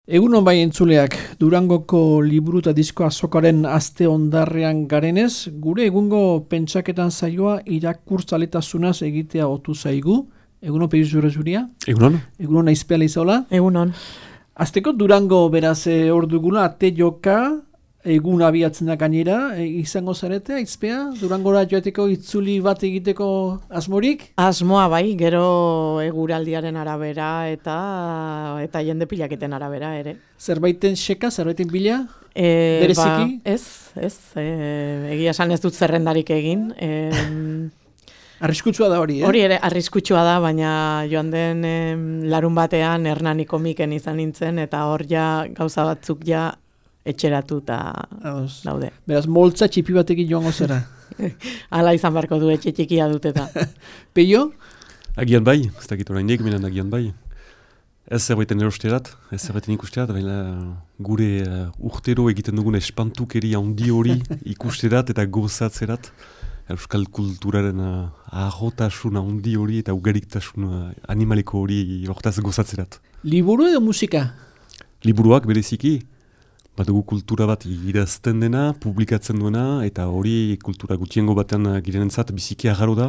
Egunon bai entzuleak, Durangoko liburu eta disko azokaren aste ondarrean garenez, gure egungo pentsaketan zaioa irakurtzaletasunaz egitea otu zaigu. Egunon Peiz Jure Juria? Egunon? Egunon Aizpea Leizaola? Egunon. Azteko Durango beraz hor dugula, ate joka, egun abiatzen da gainera, izango zarete, Aizpea? Durangora joateko itzuli bat egiteko asmorik? Asmoa bai, gero eguraldiaren arabera eta jende pilaketen arabera ere. Zerbaiten xeka, zerbaiten bila? Bereziki? Egia esan ez dut zerrendarik egin. Arriskutsua da hori, Hori ere arriskutsua da, baina joan den larun batean Hernaniko Miken izan nintzen, eta hor ja gauza batzuk ja etxeratuta daude. Beraz, moltza txipi batekin joango zera. Hala izan barko du, etxe txikia dut eta. Peio? Agian bai, ez dakit oraindik, menen agian bai. Ez zerbaiten erosterat, ez zerbaiten ikusterat, baina gure urtero egiten dugun espantukeri handi hori ikusterat eta gozatzerat. Euskal kulturaren ahotasun handi hori eta ugariktasun animaliko hori hortaz gozatzerat. Liburu edo musika? Liburuak bereziki, badugu kultura bat idazten dena, publikatzen duena, eta hori kultura gutiengo batean girenentzat biziki agarro da,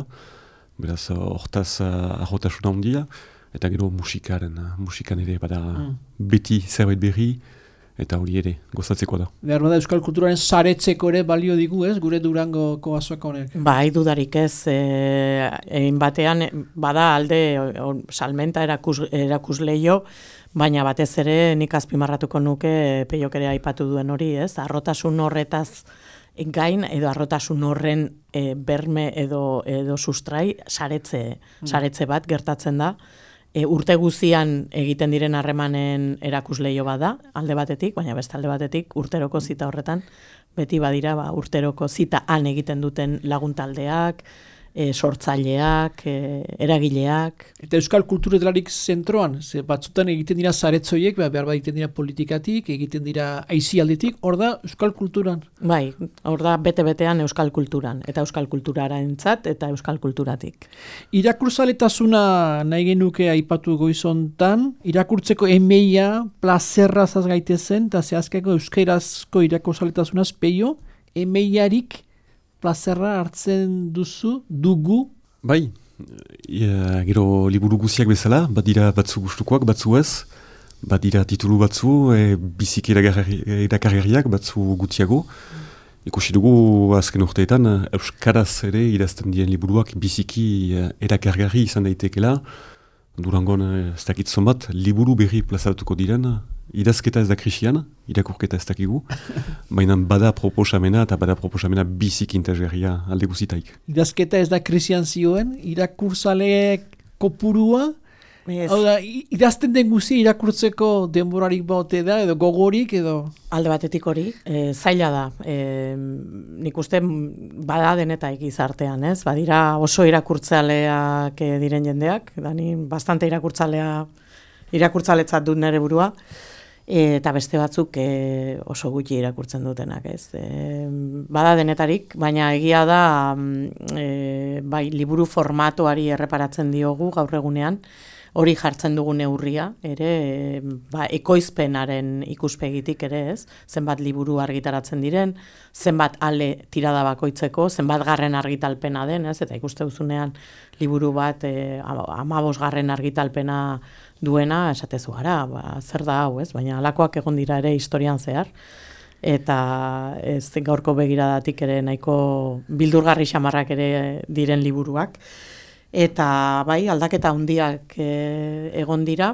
beraz hortaz ahotasun handia, eta gero musikan ere bada beti zerbait berri, eta hori ere, gozatzeko da. Behar bada Euskal kulturaren saretzeko ere balio digu, ez? Gure Durangoko azoka honek. Bai, dudarik ez. Egin batean, bada alde salmenta erakusleio, baina batez ere nik azpimarratuko nuke Peiok ere aipatu duen hori, ez? Arrotasun horretaz gain, edo arrotasun horren berme edo sustrai, saretze bat gertatzen da. Urte guzian egiten diren harremanen erakusleio bada, alde batetik, baina beste alde batetik, urteroko zita horretan, beti badira urteroko zita han egiten duten laguntaldeak, sortzaileak, eragileak. Eta Euskal kulturetararik zentroan, ze batzutan egiten dira zaretzoiek, behar bat egiten dira politikatik, egiten dira aizialdetik, hor da Euskal kulturan. Bai, hor da bete-betean Euskal kulturan, eta Euskal kulturarentzat eta Euskal kulturatik. Irakurzaletasuna nahi genuke aipatu goizontan, irakurtzeko emeia, plazerraz gaitezen, eta zehazkeko euskerazko irakurzaletasunaz Peio, emeiarik plazerra hartzen dugu? Bai, gero liburu guziak bezala, badira batzu gustukoak, batzu ez, badira titulu batzu, biziki erakarriak, batzu gutiago. Ikusi dugu azken urteetan, euskaraz ere idazten diren liburuak biziki erakargarri izan daitekela. Durangon ez dakit zonbat, liburu berri plazaratuko diren, idazketa ez da krisian, irakurketa ez dakigu, baina bada proposamena eta bada proposamena biziki interesgarria alde guzitaik. Idazketa ez da krisian zioen, irakurzaleek kopurua, idazten den guzti irakurtzeko denborarik baute da, edo gogorik, edo... Alde batetik hori, zaila da. Nik uste bada denetaik izartean, ez? Badira oso irakurtzaleak diren jendeak, dani bastante irakurtzaletzat dut nire burua, eta beste batzuk oso gutxi irakurtzen dutenak, ez? Bada denetarik, baina egia da bai, liburu formatoari erreparatzen diogu gaur egunean, hori jartzen dugu neurria, ere, ekoizpenaren ikuspegitik ere, ez? Zenbat liburu argitaratzen diren, zenbat ale tirada bakoitzeko, zenbat garren argitalpena den, ez? Eta ikuste duzunean liburu bat 15 garren argitalpena duena, esatezu gara, zer da hau, ez? Baina alakoak egon dira ere historian zehar, eta ez gaurko begiradatik ere nahiko bildurgarri xamarrak ere diren liburuak. Eta bai, aldaketa handiak egon dira,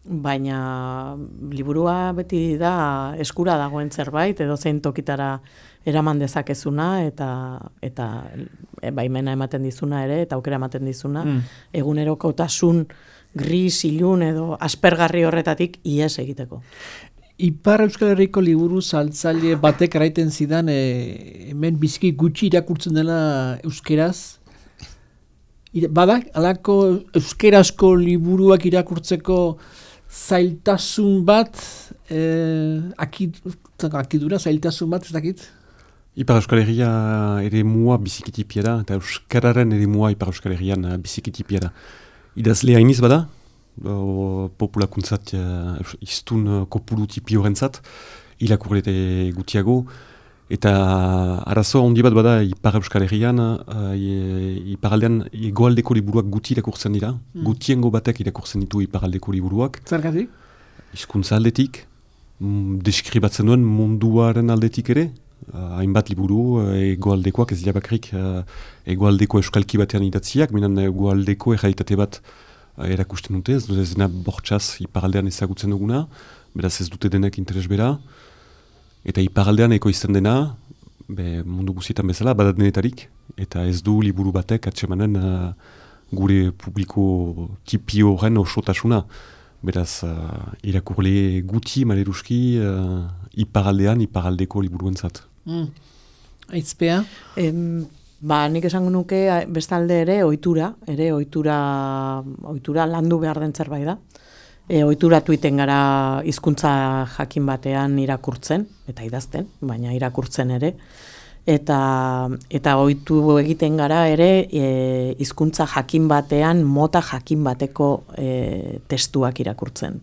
baina liburua beti da eskura dagoen zerbait, edo zein tokitara eraman dezakezuna, eta baimena ematen dizuna ere, eta aukera ematen dizuna, egunerokotasun gris, ilun edo aspergarri horretatik ihes egiteko. Ipar Euskal Herriko liburu saltzaile batek eraiten zidan, hemen biziki gutxi irakurtzen dela euskeraz, badak, alako euskerazko liburuak irakurtzeko zailtasun bat, akidura zailtasun bat, ez dakit? Ipar Euskal Herria ere mua bizikitipia da, eta euskararen ere mua Ipar Euskal Herrian bizikitipia da. Idazle hainiz bada, populakuntzat iztun kopuru tipi horrentzat, irakurlete gutiago, eta arazo handi bat bada Ipar Euskal Herrian, iparaldean egoaldeko liburuak guti irakurtzen dira, gutiengo batek irakurtzen ditu iparaldeko liburuak. Zergatik? Hizkuntza aldetik, deskribatzen duen munduaren aldetik ere, hainbat liburu egoaldekoak ez dira bakrik egoaldeko euskalki batean idatziak, minan egoaldeko errealitate bat erakusten dute, ez dena bortxaz iparaldean ezagutzen duguna, beraz ez dute denek interes bera, eta iparaldean ekoizten dena, mundu guztietan bezala, badat denetarik, eta ez du liburu batek atsemanen gure publiko tipi horren osotasuna. Beraz, irakurle guti, maleruski, iparaldean, iparaldeko liburuentzat. Aitzpea? Nik esango nuke bestalde ere ohitura landu behar den zerbait da. Ohituratu iten gara hizkuntza jakin batean irakurtzen, eta idazten, baina irakurtzen ere. Eta ohitu egiten gara ere hizkuntza jakin batean, mota jakin bateko testuak irakurtzen.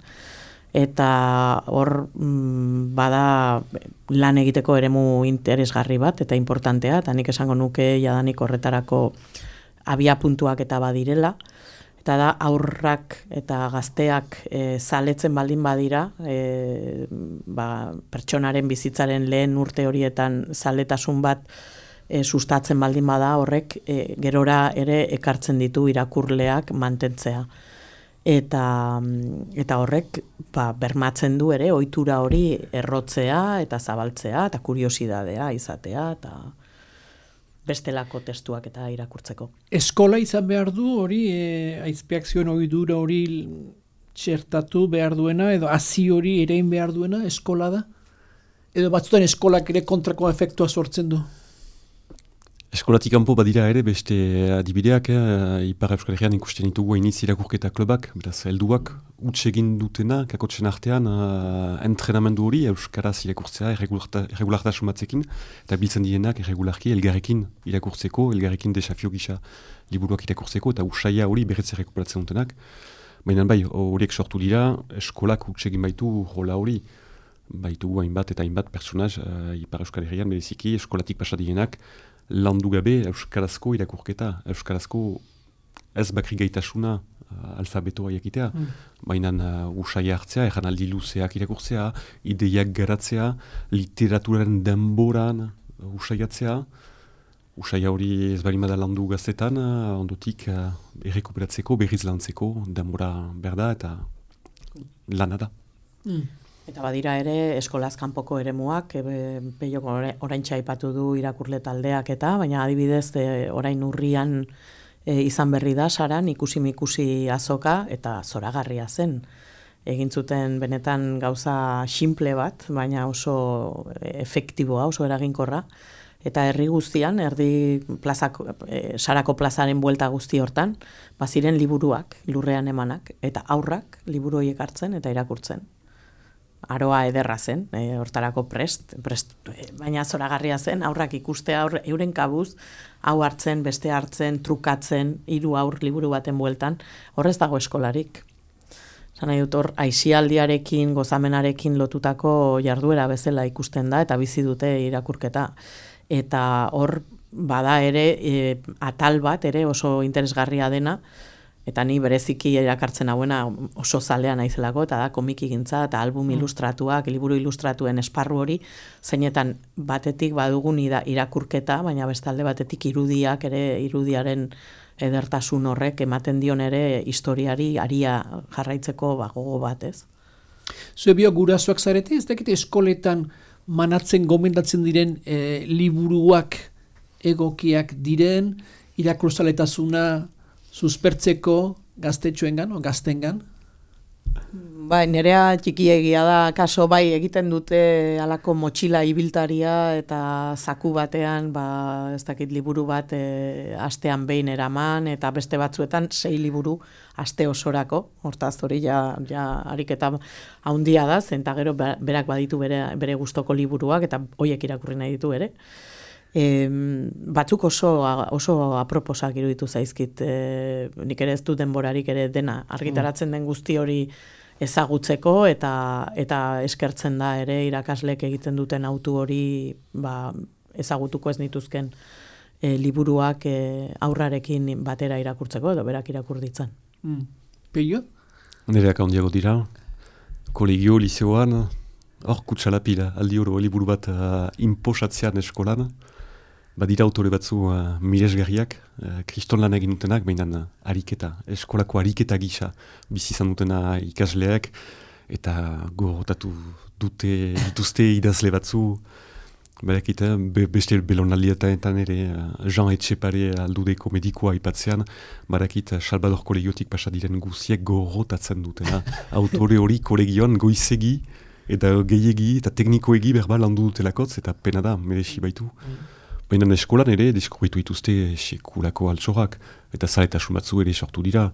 Eta hor bada lan egiteko eremu interesgarri bat eta importantea, eta nik esango nuke jadanik horretarako abia puntuak eta badirela. Eta da aurrak eta gazteak zaletzen baldin badira, pertsonaren bizitzaren lehen urte horietan zaletasun bat sustatzen baldin bada horrek gerora ere ekartzen ditu irakurleak mantentzea. Eta horrek bermatzen du ere ohitura hori errotzea eta zabaltzea eta kuriosidadea izatea eta bestelako testuak eta irakurtzeko. Eskola izan behar du hori, aizpeak zioen ohidura hori txertatu behar duena, edo hazi hori erein behar duena, eskola da? Edo batzutan eskolak ere kontrako efektua sortzen du? Eskolatik kanpo badira ere beste adibideak, Ipar Euskal Herrian ikusten ditugu iniz irakurketa klubak, beraz helduak huts egin dutena, kakotxen artean entrenamendu hori euskaraz irakurtzea erregulartasun batzekin, eta biltzen dienak erregularki elgarrekin irakurtzeko, elgarrekin desafio gisa liburuak irakurtzeko, eta usaia hori berretze rekuperatzen dutenak. Baina bai, horiek sortu dira, eskolak huts egin baitu rola hori, baitu hainbat eta hainbat personaz Ipar Euskal Herrian bereziki eskolatik pasadienak, landu gabe euskarazko irakurketa, euskarazko ez bakri gaitasuna alfabetoa jakitea, baina usaia hartzea, erranaldi luzeak irakurtzea, ideiak garatzea, literaturaren denboran usaiatzea, usaia hori ez barimada landu gaztetan, ondotik errekuperatzeko, berriz lantzeko, denbora berda eta lana da. Eta badira ere eskolaz kanpoko eremuak, Peiok oraintxe aipatu du irakurle taldeak eta, baina adibidez orain urrian izan berri da Saran ikusi azoka eta zoragarria zen. Egin zuten benetan gauza simple bat, baina oso efektiboa, oso eraginkorra. Eta herri guztian, Sarako plazaren buelta guzti hortan, baziren liburuak, lurrean emanak, eta aurrak liburu horiek hartzen eta irakurtzen. Aroa ederra zen, hortarako prest, baina zoragarria zen, aurrak ikustea euren kabuz, hau hartzen, beste hartzen, trukatzen, 3 aur liburu baten bueltan, horrez dago eskolarik. Zan nahi dut hor, aisialdiarekin, gozamenarekin lotutako jarduera bezala ikusten da, eta bizi dute irakurketa. Eta hor, bada ere, atal bat ere oso interesgarria dena, eta ni bereziki erakartzen hauena oso zalea naizelako, eta da komikigintza eta album ilustratuak, liburu ilustratuen esparru hori, zeinetan batetik badugun irakurketa, baina bestalde batetik irudiak ere, irudiaren edertasun horrek ematen dion ere historiari aria jarraitzeko gogo bat, ez? Zue bio gurasoak zarete, ez dakite eskoletan manatzen gomendatzen diren liburuak egokiak diren, irakurzaletasuna suspertzeko gaztetxoengan o gaztengan? Bai, nerea txikiegia da, kaso bai egiten dute halako motxila ibiltaria eta zaku batean, ez dakit liburu bat astean behin eraman, eta beste batzuetan 6 liburu aste osorako, hortaz hori ja ariketa haundia da, zen eta gero berak baditu bere gustoko liburuak, eta hoiek irakurri nahi ditu ere. Batzuk oso aproposak iruditu zaizkit, nik ere ez du denborarik ere dena argitaratzen den guzti hori ezagutzeko eta eskertzen da ere irakaslek egiten duten autu hori ezagutuko ez nituzken liburuak aurrarekin batera irakurtzeko edo berak irakur ditzan. Peio? Nereak handiago dira, kolegio, liceoan, hor kutsalapila, aldi oro liburu bat inposatzean eskolan, badira autore batzu miresgarriak, kriston lan egin dutenak, baina eskolako ariketa gisa bizi izan dutena ikasleak, eta gogotatu dituzte idazle batzu, badakit, beste belonaldietan ere Jean Etxepare aldudeko medikoa ipatzean, badakit Salvador kolegiotik pasadiren guziek gogotatzen dutena. Autore hori kolegioan goizegi, eta gehiegi, eta teknikoegi berba landu dutelakotz, eta pena da, merezi baitu. Baina eskolan ere, deskubritu dituzte sekulako altsorak, eta zaletasun batzu ere sortu dira.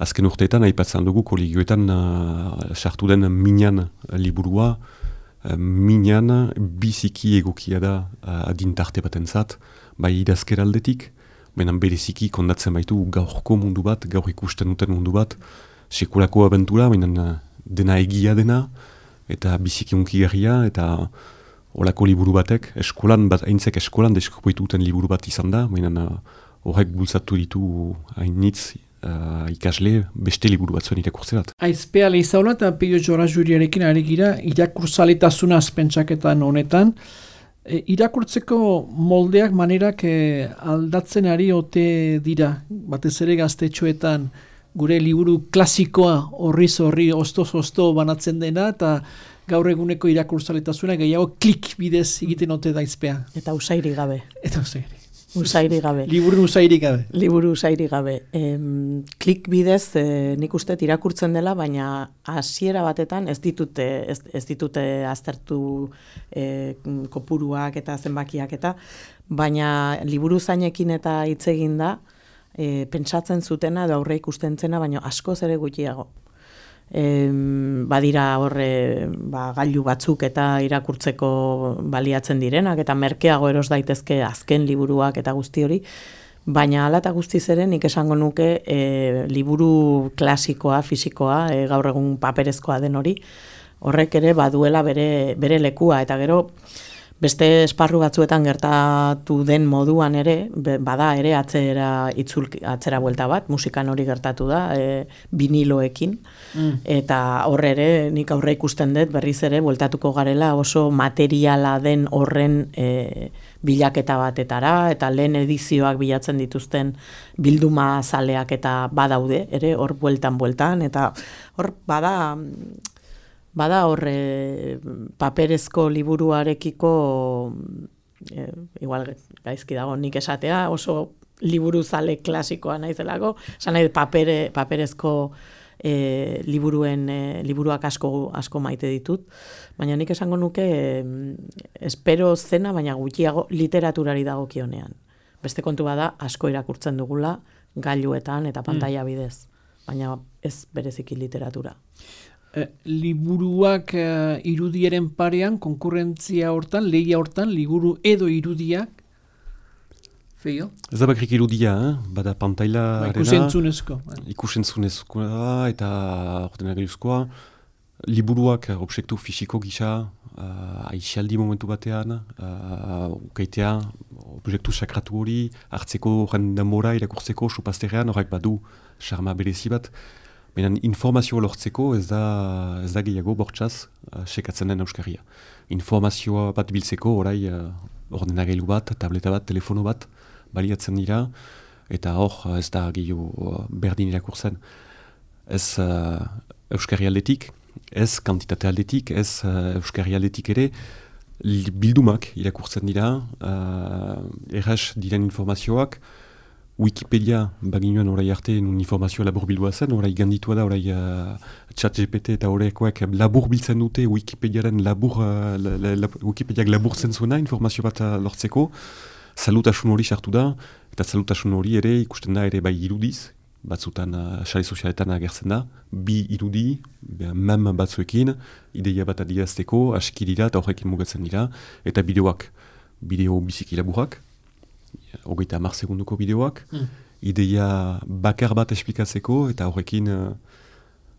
Azken urteetan, aipatzen dugu kolegioetan sartu den Minan liburua, Minan biziki egokia da adintarte batentzat, bai idazkera aldetik, baina bereziki kondatzen baitu gaurko mundu bat, gaur ikusten duten mundu bat, sekulako abentura, baina dena egia dena, eta biziki unkigarria, eta olako liburu batek, aintzek eskolan deskubritu duten liburu bat izan da, baina horrek bultzatu ditu hainitz ikasle beste liburu batzuen irakurtzerat. Aizpea lehizaula eta Peio Jora Juriarekin ari gira irakurtzaletasunaz pentsaketan honetan. Irakurtzeko moldeak manerak aldatzen ari ote dira, batez ere gaztetxoetan gure liburu klasikoa horri osto banatzen dena eta gaur eguneko irakurtzaletasuna gehiago klik bidez egiten ote da Aizpea. Eta usairi gabe. Usairi gabe. Liburu usairi gabe. Liburu usairi gabe. Klik bidez nik uste irakurtzen dela, baina hasiera batetan ez ditute aztertu kopuruak eta zenbakiak eta, baina liburu zainekin eta hitz egin da, pentsatzen zutena edo aurre ikusten zena, baina askoz ere gutxiago. Badira horre gailu batzuk eta irakurtzeko baliatzen direnak eta merkeago eros daitezke azken liburuak eta guzti hori, baina hala eta guztiz ere nik esango nuke liburu klasikoa, fisikoa, gaur egun paperezkoa den hori, horrek ere baduela bere lekua eta gero beste esparru batzuetan gertatu den moduan ere, bada ere atzera buelta bat, musikan hori gertatu da, viniloekin, eta horre ere nik aurre ikusten dut berriz ere bueltatuko garela oso materiala den horren bilaketa batetara, eta lehen edizioak bilatzen dituzten bilduma zaleak eta badaude, ere hor bueltan, eta hor bada horre paperezko liburuarekiko, igual gaizki dago nik esatea, oso liburu zale klasikoa naizelako, esan nahi paperezko liburuak asko maite ditut, baina nik esango nuke espero zena, baina gutxiago literaturari dagokionean. Beste kontu bada asko irakurtzen dugula gailuetan eta pantaila bidez, baina ez bereziki literatura. Liburuak irudiaren parean, konkurrentzia hortan, lehia hortan, liburu edo irudiak, Feio? Ez da bakrik irudia, bada pantaila ikusentzunezko eta ordena geruzkoa, liburuak objektu fisiko gisa, aixaldi momentu batean, ukaitea, objektu sakratu hori, hartzeko horren denbora, irakurtzeko, supazterrean, horrek badu, charma berezi bat, baina informazioa lortzeko ez da gehiago bortxaz sekatzen den euskarria. Informazioa bat biltzeko orai ordenagailu bat, tableta bat, telefono bat baliatzen dira, eta hor ez da gehiago berdin irakurtzen. Ez euskarri aldetik, ez kantitate aldetik, ez euskarri aldetik ere, bildumak irakurtzen dira, erraz diren informazioak, Wikipedia baginoen orai arte nun informazioa laburbildua zen, orai ganditua da, orai ChatGPT eta horrekoak laburbiltzen dute Wikipediaren Wikipediak laburtzen zuena informazio bat lortzeko, salutasun hori sartu da, eta salutasun hori ere ikusten da ere bai irudiz, batzutan sare sozialetan agertzen da, bi irudi, mem batzuekin, ideia bat adierazteko, aski dira eta horrekin mugatzen dira, eta bideoak. bideo biziki laburrak, 30 segunduko bideoak, ideia bakar bat esplikatzeko, eta horrekin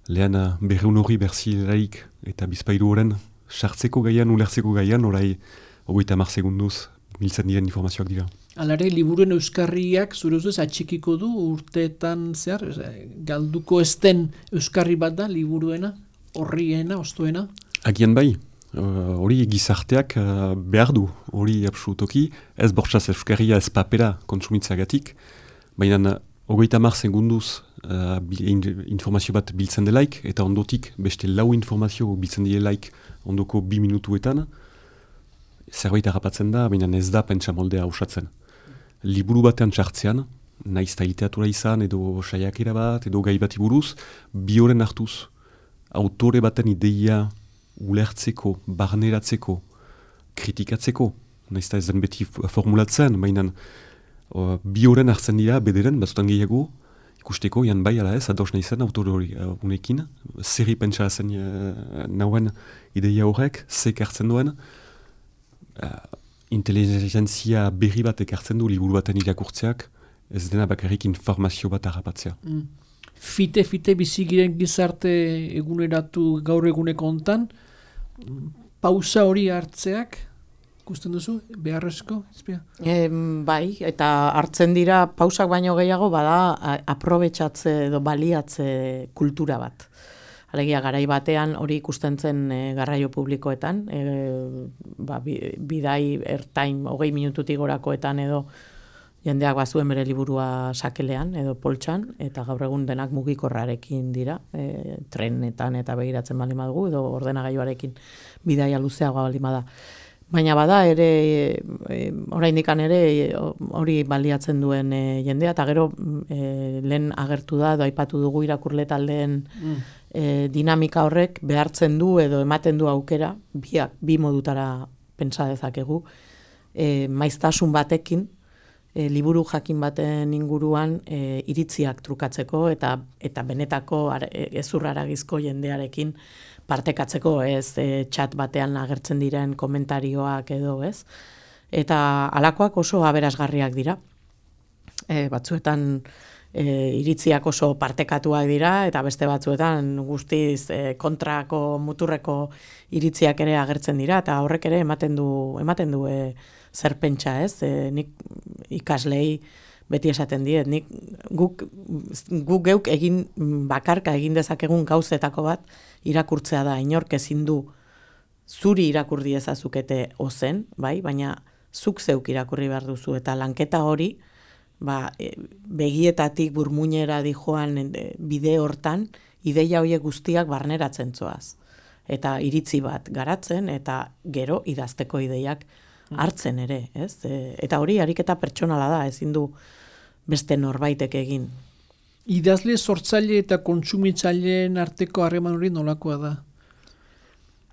lehen berreun hori berzileraik eta bizpairu horren sartzeko gaian, ulertzeko gaian, orai 30 segunduz biltzen diren informazioak dira. Alare, liburuen euskarriak zure ustez atxikiko du urteetan zehar, galduko ez den euskarri bat da liburuena, horriena, ostoena? Agian bai, hori gizarteak behar du, hori absolutoki, ez bortzaz euskarria ez papera kontsumitzagatik, baina 30 segunduz informazio bat biltzen delaik, eta ondotik beste 4 informazio biltzen delaik ondoko 2 minutuetan, zerbait harrapatzen da, baina ez da pentsa moldea usatzen. Liburu batean txartzean, naizta literatura izan, edo saiakera bat, edo gai bati buruz, bi horren hartuz, autore baten ideia ulertzeko, barneratzeko, kritikatzeko, naizta ez den beti formulatzen, baina bi horren hartzen dira, bederen, batzutan gehiago, ikusteko, jan bai, ala ez, ados nahi zen autore hori unekin, zerri pentsa zen nauen ideia horrek, zek hartzen duen, inteligentzia berri bat ekartzen du liburu baten irakurtzeak, ez dena bakarrik informazio bat harrapatzea. Fite bizigiren gizarte eguneratu gaur eguneko hontan, pausa hori hartzeak, ikusten duzu, beharrezko? Bai, eta hartzen dira pausak baino gehiago bada aprobetxatze edo baliatze kultura bat. Alegia, garai batean hori ikusten zen garraio publikoetan, bidai ertain 20 minututik gorakoetan edo jendeak bazuen bere liburua sakelean edo poltsan, eta gaur egun denak mugikorrarekin dira, trenetan eta begiratzen baldin badugu, edo ordenagailuarekin bidaia luzeagoa baldin bada. Baina bada ere, oraindikan ere hori baliatzen duen jendea, eta gero lehen agertu da, edo aipatu dugu irakurle taldeen dinamika horrek behartzen du edo ematen du aukera, bi modutara pentsa dezakegu, maiztasun batekin, liburu jakin baten inguruan iritziak trukatzeko eta benetako ezurraragizko jendearekin partekatzeko, ez chat batean agertzen diren komentarioak edo, ez? Eta halakoak oso aberasgarriak dira. Batzuetan iritziak oso partekatuak dira, eta beste batzuetan guztiz kontrako muturreko iritziak ere agertzen dira, eta horrek ere ematen du zer pentsa, ez? Nik ikaslei beti esaten diet, guk geuk egin bakarka egin dezakegun gauzetako bat irakurtzea da, inork ezin du zuri irakurri ezazukete ozen, bai, baina zuk zeuk irakurri behar duzu, eta lanketa hori, begietatik burmuinera dijoan bide hortan, ideia horiek guztiak barneratzen zoaz. Eta iritzi bat garatzen, eta gero idazteko ideiak hartzen ere, ez? Eta hori ariketa pertsonala da, ezin du beste norbaitek egin. Idazle, sortzaile eta kontsumitzaileen arteko harreman hori nolakoa da?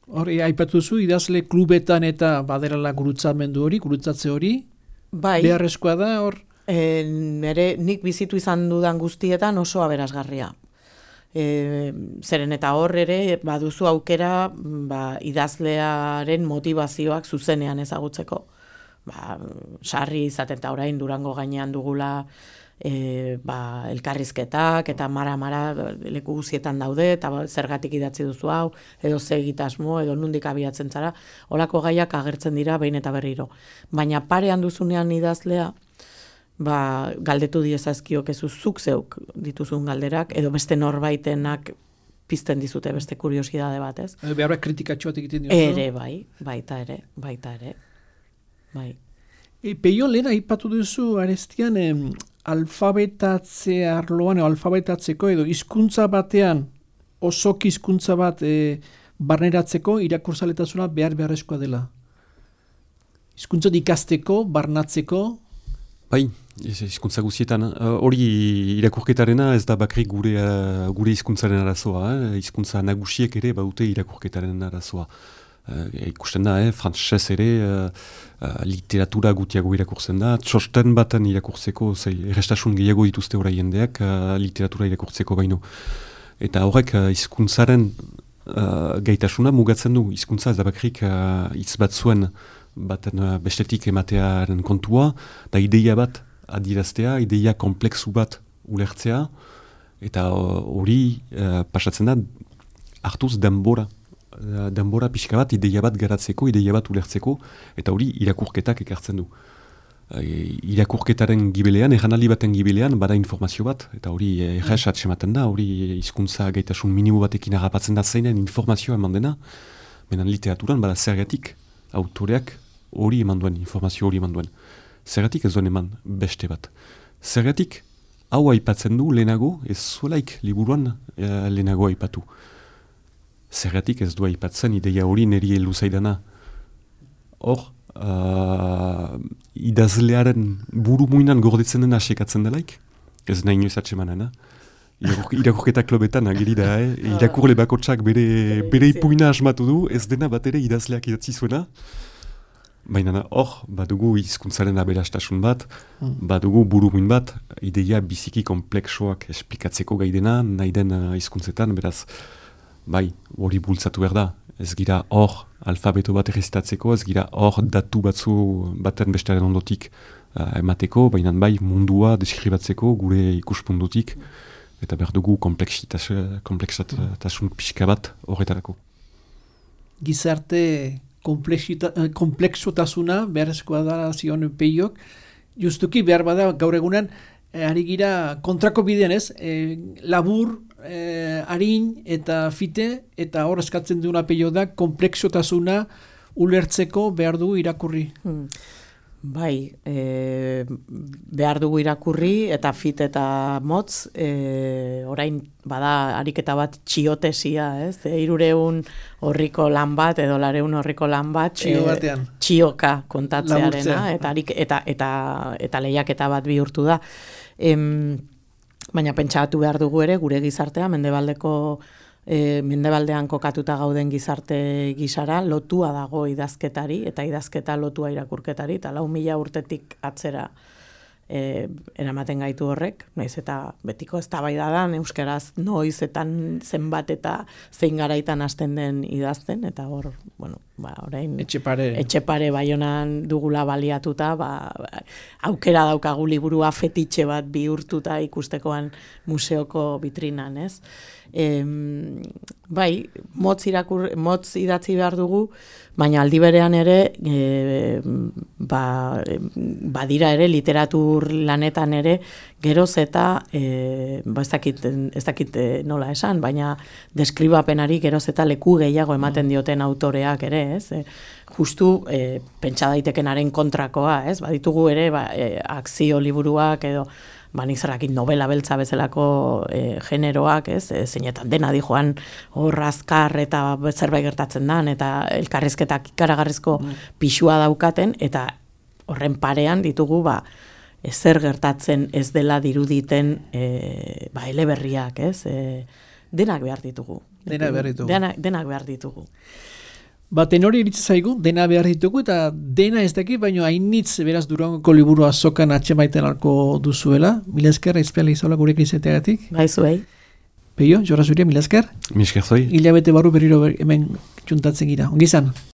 Hori, aipatu zu, idazle klubetan eta baderala gurutzatze hori, bai, beharrezkoa da, hor? Nik bizitu izan dudan guztietan oso aberasgarria. Zeren eta hor ere baduzu aukera idazlearen motivazioak zuzenean ezagutzeko. Sarri izaten eta orain Durango gainean dugula elkarrizketak eta mara leku guztietan daude, eta zergatik idatzi duzu hau, edo ze egitasmo, edo nundik abiatzen zara, holako gaiak agertzen dira behin eta berriro. Baina parean duzunean idazlea, galdetu diezazkiok zuk zeuk dituzun galderak, edo beste norbaitenak pizten dizute beste kuriosidade bat, ez? Beharra kritikatxoat egiten diozu? Ere, baita ere. Bai. Peio, lehen aipatu duzu arestian alfabetatze arloan, alfabetatzeko edo hizkuntza batean, osoki hizkuntza bat barneratzeko irakurzaletasuna beharrezkoa dela. Hizkuntza ikasteko, barnatzeko? Bai, hizkuntza guztietan. Hori irakurketarena ez da bakrik gure hizkuntzaren arazoa. Hizkuntza nagusiek ere badute irakurketaren arazoa. Ikusten da, frantsez ere literatura gutiago irakurtzen da. Txosten baten irakurtzeko, errestasun gehiago dituzte orai jendeak literatura irakurtzeko baino. Eta horrek hizkuntzaren gaitasuna mugatzen du. Hizkuntza ez da bakrik hitz batzuen baten bestetik ematearen kontua, da ideia bat adiraztea, ideia kompleksu bat ulertzea, eta hori pasatzen da hartuz denbora pixka bat, ideia bat garatzeko, ideia bat ulertzeko, eta hori irakurketak ekartzen du. Irakurketaren gibelean, erranaldi baten gibelean, bada informazio bat, eta hori erraz atsematen da, hori hizkuntza gaitasun minimo batekin harrapatzen da zeinen informazioa eman dena, menan literaturan bada zergatik autoreak hori eman duen, informazio hori eman duen. Zergatik ez duen eman beste bat. Zergatik hau aipatzen du lehenago, ez zuelaik liburuan lehenago aipatu. Zergatik ez du aipatzen ideia hori niri heldu zaidana. Hor, idazlearen buru muinan gordetzen dena asekatzen delaik, ez nahi inoiz atsemanen, irakurketa klobetan agiri da, irakurle bakotsak bere ipuina asmatu du, ez dena bat ere idazleak idatzi zuena, baina hor, badugu hizkuntzaren aberastasun bat, badugu burumin bat, ideia biziki kompleksoak esplikatzeko gaidena, nahi den hizkuntzetan, beraz, bai, hori bultzatu behar da. Ez gira hor alfabeto bat errezitatzeko, ez gira hor datu batzu baten bestearen ondotik emateko, baina bai mundua deskribatzeko gure ikuspundutik, eta behar dugu komplexatasun pixka bat horretarako. Gizarte komplexotasuna beharrezkoa da zion Peiok, justuki behar bada gaur egunan, ari gira kontrako bidean ez, labur, harin eta fite, eta hor eskatzen duena Peio da, komplexotasuna ulertzeko behar dugu irakurri. Bai, behar dugu irakurri, eta fit eta motz, orain bada ariketa bat txiotesia, ez? 300 horriko lan bat, edo 400 horriko lan bat, txioka kontatzearena, eta lehiaketa bat bihurtu da. Baina pentsatu behar dugu ere, gure gizartea, mendebaldean kokatuta gauden gizarte gisara, lotua dago idazketari, eta idazketa lotua irakurketari, eta 4.000 urtetik atzera eramaten gaitu horrek, naiz eta betiko eztabaida da, euskaraz noizetan zenbat eta zein garaitan hasten den idazten, eta hor, orain etxepare Baionan dugula baliatuta, aukera daukagu liburua fetitxe bat bihurtuta ikustekoan museoko vitrinan, ez? Bai, motz idatzi behar dugu, baina aldi berean ere badira ere literatur lanetan ere geroz eta ez dakit nola esan, baina deskribapenari geroz eta leku gehiago ematen dioten autoreak ere, ez? Justu pentsa daitekenaren kontrakoa, ez? Baditugu ere akzio liburuak edo nik zerrakin novela beltza bezalako generoak, ez? Zeinetan dena di joan hor azkar eta zerbait gertatzen dan, eta elkarrizketak ikaragarrizko pixua daukaten, eta horren parean ditugu ezer gertatzen ez dela diruditen eleberriak, ez? Denak behar ditugu. Denak behar ditugu. Tenori iritsi zaigu, dena behar ditugu, eta dena ez daki, baina hainitz beraz Durangoko liburu azokan atxemaiten alko duzuela. Mila esker, aizpiala izaula gurekin izateagatik. Bai, zuei. Peio, Jorra Zuria, mila esker. Mila esker zoi. Hilabete barru berriro hemen txuntatzen gira. Ongi izan.